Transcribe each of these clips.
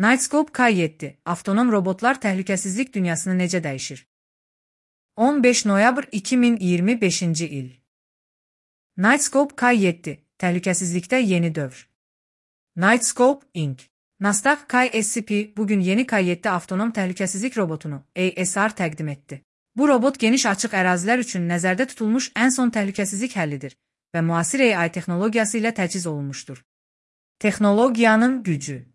Knightscope K7 Avtonom robotlar təhlükəsizlik dünyasını necə dəyişir? 15 noyabr 2025-ci il. Knightscope K7 Təhlükəsizlikdə yeni dövr. Knightscope Inc. Nasdaq KSP bugün yeni K7 avtonom təhlükəsizlik robotunu ASR təqdim etdi. Bu robot geniş açıq ərazilər üçün nəzərdə tutulmuş ən son təhlükəsizlik həllidir və müasir AI texnologiyası ilə təchiz olunmuşdur. Texnologiyanın gücü.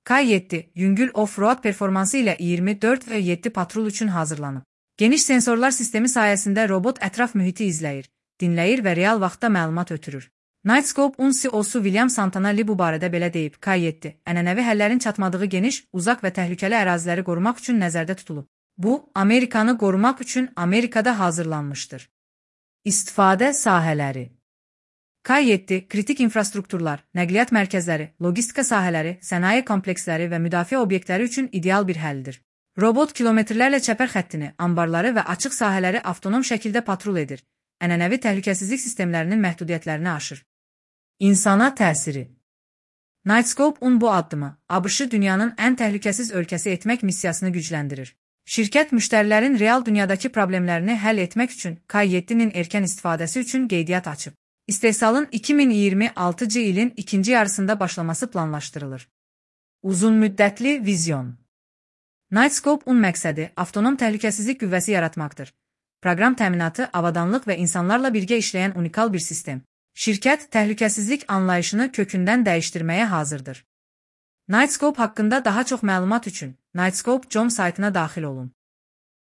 K7 yüngül off-road performansı ilə 24 və 7 patrul üçün hazırlanıb. Geniş sensorlar sistemi sayəsində robot ətraf mühiti izləyir, dinləyir və real vaxtda məlumat ötürür. Knightscope CEO'su William Santana bu barədə belə deyib: K7 ənənəvi həllərin çatmadığı geniş, uzaq və təhlükəli əraziləri qorumaq üçün nəzərdə tutulub. Bu, Amerikanı qorumaq üçün Amerikada hazırlanmışdır. İstifadə sahələri. K7 kritik infrastrukturlar, nəqliyyat mərkəzləri, logistika sahələri, sənaye kompleksləri və müdafiə obyektləri üçün ideal bir həldir. Robot kilometrlərlə çəpər xəttini, ambarları və açıq sahələri avtonom şəkildə patrul edir. Ənənəvi təhlükəsizlik sistemlərinin məhdudiyyətlərini aşır. İnsana təsiri. Knightscope bu addımı ABŞ-ı dünyanın ən təhlükəsiz ölkəsi etmək missiyasını gücləndirir. Şirkət müştərilərin real dünyadakı problemlərini həll etmək üçün K7-nin erkən istifadəsi üçün qeydiyyat açıb. İstehsalın 2026-cı ilin ikinci yarısında başlaması planlaşdırılır. Uzunmüddətli vizyon. Knightscope məqsədi avtonom təhlükəsizlik qüvvəsi yaratmaqdır. Proqram təminatı, avadanlıq və insanlarla birgə işləyən unikal bir sistem. Şirkət təhlükəsizlik anlayışını kökündən dəyişdirməyə hazırdır. Knightscope haqqında daha çox məlumat üçün Knightscope.com saytına daxil olun.